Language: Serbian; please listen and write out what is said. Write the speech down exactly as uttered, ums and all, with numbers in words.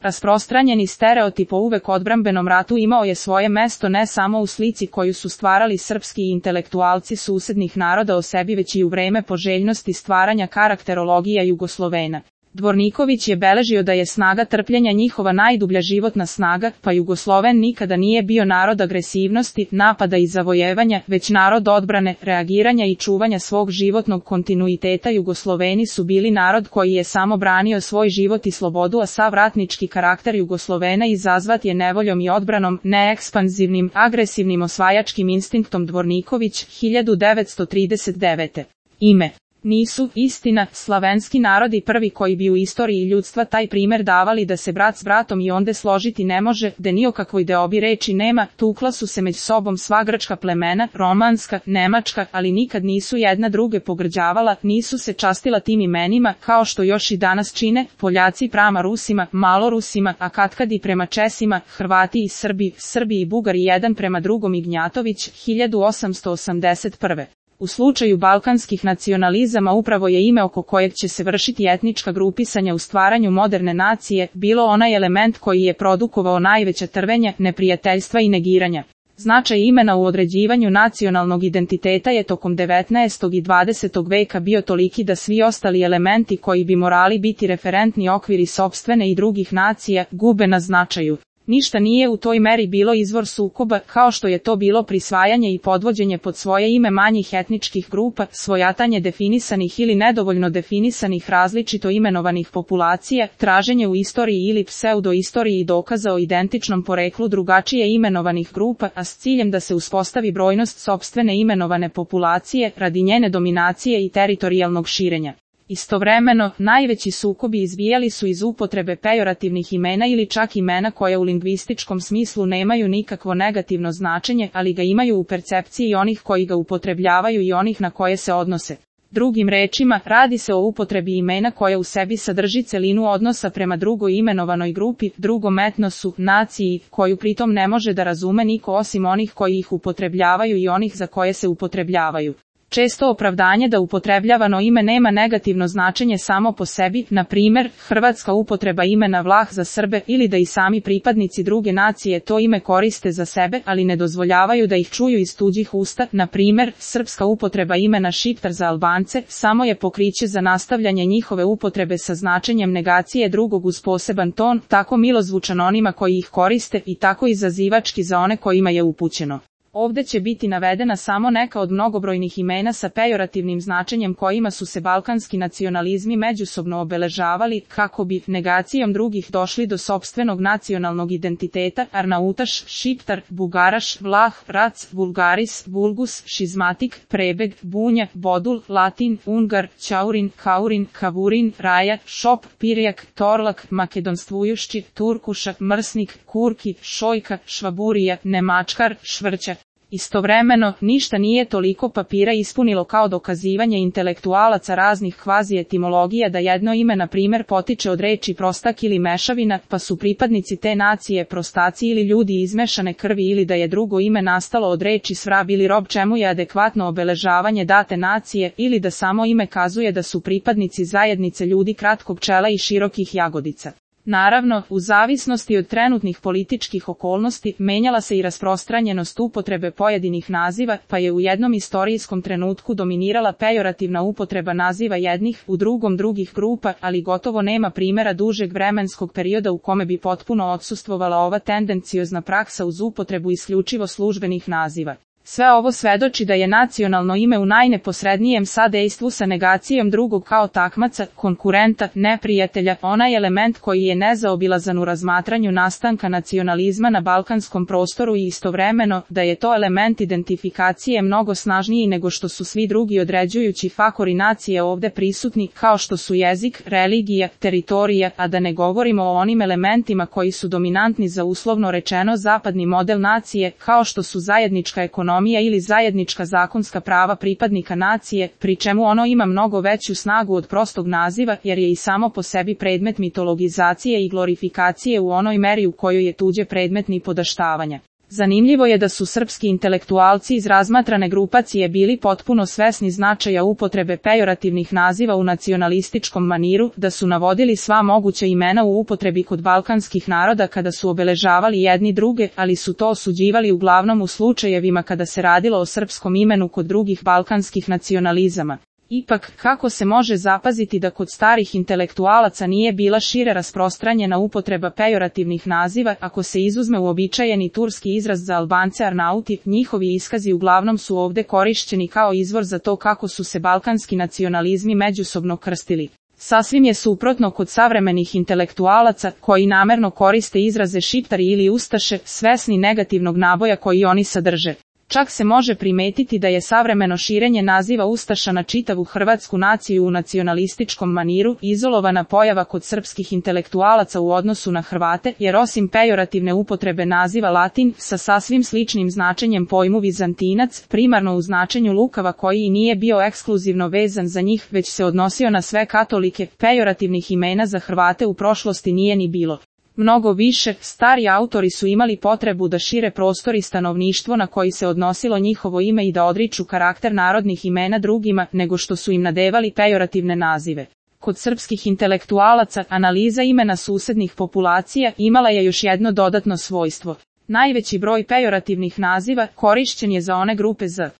Rasprostranjeni stereotip o uvek odbrambenom ratu imao je svoje mesto ne samo u slici koju su stvarali srpski intelektualci susednih naroda o sebi, već i u vreme poželjnosti stvaranja karakterologija Jugoslovena. Dvorniković je beležio da je snaga trpljenja njihova najdublja životna snaga, pa Jugosloven nikada nije bio narod agresivnosti, napada i zavojevanja, već narod odbrane, reagiranja i čuvanja svog životnog kontinuiteta. Jugosloveni su bili narod koji je samo branio svoj život i slobodu, a sav ratnički karakter Jugoslovena izazvat je nevoljom i odbranom, ne ekspanzivnim, agresivnim osvajačkim instinktom. Dvorniković, hiljadu devetsto trideset devete. Ime. Nisu, istina, slavenski narodi prvi koji bi u istoriji ljudstva taj primer davali da se brat s bratom i onde složiti ne može, da ni o kakvoj deobi reči nema, tukla su se među sobom sva grčka plemena, romanska, nemačka, ali nikad nisu jedna druge pogrđavala, nisu se častila tim imenima, kao što još i danas čine, Poljaci prema Rusima, Malorusima, a katkad i prema Česima, Hrvati i Srbi, Srbi i Bugari jedan prema drugom. Ignjatović, hiljadu osamsto osamdeset prve. U slučaju balkanskih nacionalizama upravo je ime oko kojeg će se vršiti etnička grupisanja u stvaranju moderne nacije, bilo onaj element koji je produkovao najveća trvenja, neprijateljstva i negiranja. Značaj imena u određivanju nacionalnog identiteta je tokom devetnaestog i dvadesetog veka bio toliki da svi ostali elementi koji bi morali biti referentni okviri sopstvene i drugih nacija, gube na značaju. Ništa nije u toj meri bilo izvor sukoba, kao što je to bilo prisvajanje i podvođenje pod svoje ime manjih etničkih grupa, svojatanje definisanih ili nedovoljno definisanih različito imenovanih populacija, traženje u istoriji ili pseudoistoriji dokaza o identičnom poreklu drugačije imenovanih grupa, a s ciljem da se uspostavi brojnost sopstvene imenovane populacije, radi njene dominacije i teritorijalnog širenja. Istovremeno, najveći sukobi izbijali su iz upotrebe pejorativnih imena ili čak imena koja u lingvističkom smislu nemaju nikakvo negativno značenje, ali ga imaju u percepciji onih koji ga upotrebljavaju i onih na koje se odnose. Drugim rečima, radi se o upotrebi imena koja u sebi sadrži celinu odnosa prema drugoj imenovanoj grupi, drugom etnosu, naciji, koju pritom ne može da razume niko osim onih koji ih upotrebljavaju i onih za koje se upotrebljavaju. Često opravdanje da upotrebljavano ime nema negativno značenje samo po sebi, na primjer, hrvatska upotreba imena Vlah za Srbe, ili da i sami pripadnici druge nacije to ime koriste za sebe, ali ne dozvoljavaju da ih čuju iz tuđih usta, na primjer, srpska upotreba imena Šiptar za Albance, samo je pokriće za nastavljanje njihove upotrebe sa značenjem negacije drugog uz poseban ton, tako milozvučan onima koji ih koriste i tako izazivački za one kojima je upućeno. Ovde će biti navedena samo neka od mnogobrojnih imena sa pejorativnim značenjem kojima su se balkanski nacionalizmi međusobno obeležavali, kako bi negacijom drugih došli do sopstvenog nacionalnog identiteta: Arnautaš, Šiptar, Bugaraš, Vlah, Rac, Bulgaris, Bulgus, Šizmatik, Prebeg, Bunja, Bodul, Latin, Ungar, Ćaurin, Kaurin, Kavurin, Raja, Šop, Pirjak, Torlak, Makedonstvujušći, Turkuša, Mrsnik, Kurki, Šojka, Švaburija, Nemačkar, Švrća. Istovremeno, ništa nije toliko papira ispunilo kao dokazivanje intelektualaca raznih kvazi-etimologija da jedno ime na primjer potiče od reči prostak ili mešavina, pa su pripadnici te nacije prostaci ili ljudi izmešane krvi, ili da je drugo ime nastalo od reči svrab ili rob, čemu je adekvatno obeležavanje date nacije, ili da samo ime kazuje da su pripadnici zajednice ljudi kratkog čela i širokih jagodica. Naravno, u zavisnosti od trenutnih političkih okolnosti, menjala se i rasprostranjenost upotrebe pojedinih naziva, pa je u jednom istorijskom trenutku dominirala pejorativna upotreba naziva jednih, u drugom drugih grupa, ali gotovo nema primjera dužeg vremenskog perioda u kome bi potpuno odsustvovala ova tendenciozna praksa uz upotrebu isključivo službenih naziva. Sve ovo svedoči da je nacionalno ime u najneposrednijem sadejstvu sa negacijom drugog kao takmaca, konkurenta, neprijatelja, onaj element koji je nezaobilazan u razmatranju nastanka nacionalizma na balkanskom prostoru i istovremeno da je to element identifikacije mnogo snažniji nego što su svi drugi određujući faktori nacije ovde prisutni, kao što su jezik, religija, teritorija, a da ne govorimo o onim elementima koji su dominantni za uslovno rečeno zapadni model nacije, kao što su zajednička ekonomija ili zajednička zakonska prava pripadnika nacije, pri čemu ono ima mnogo veću snagu od prostog naziva, jer je i samo po sebi predmet mitologizacije i glorifikacije u onoj meri u kojoj je tuđe predmet nipodaštavanja. Zanimljivo je da su srpski intelektualci iz razmatrane grupacije bili potpuno svesni značaja upotrebe pejorativnih naziva u nacionalističkom maniru, da su navodili sva moguća imena u upotrebi kod balkanskih naroda kada su obeležavali jedni druge, ali su to osuđivali uglavnom u slučajevima kada se radilo o srpskom imenu kod drugih balkanskih nacionalizama. Ipak, kako se može zapaziti da kod starih intelektualaca nije bila šire rasprostranjena upotreba pejorativnih naziva, ako se izuzme uobičajeni turski izraz za Albance Arnauti, njihovi iskazi uglavnom su ovde korišćeni kao izvor za to kako su se balkanski nacionalizmi međusobno krstili. Sasvim je suprotno kod savremenih intelektualaca, koji namerno koriste izraze šiptari ili ustaše, svesni negativnog naboja koji oni sadrže. Čak se može primetiti da je savremeno širenje naziva ustaša na čitavu hrvatsku naciju u nacionalističkom maniru izolovana pojava kod srpskih intelektualaca u odnosu na Hrvate, jer osim pejorativne upotrebe naziva Latin, sa sasvim sličnim značenjem pojmu Vizantinac, primarno u značenju lukava koji i nije bio ekskluzivno vezan za njih, već se odnosio na sve katolike, pejorativnih imena za Hrvate u prošlosti nije ni bilo. Mnogo više, stari autori su imali potrebu da šire prostor i stanovništvo na koji se odnosilo njihovo ime i da odriču karakter narodnih imena drugima, nego što su im nadevali pejorativne nazive. Kod srpskih intelektualaca, analiza imena susednih populacija imala je još jedno dodatno svojstvo. Najveći broj pejorativnih naziva korišćen je za one grupe z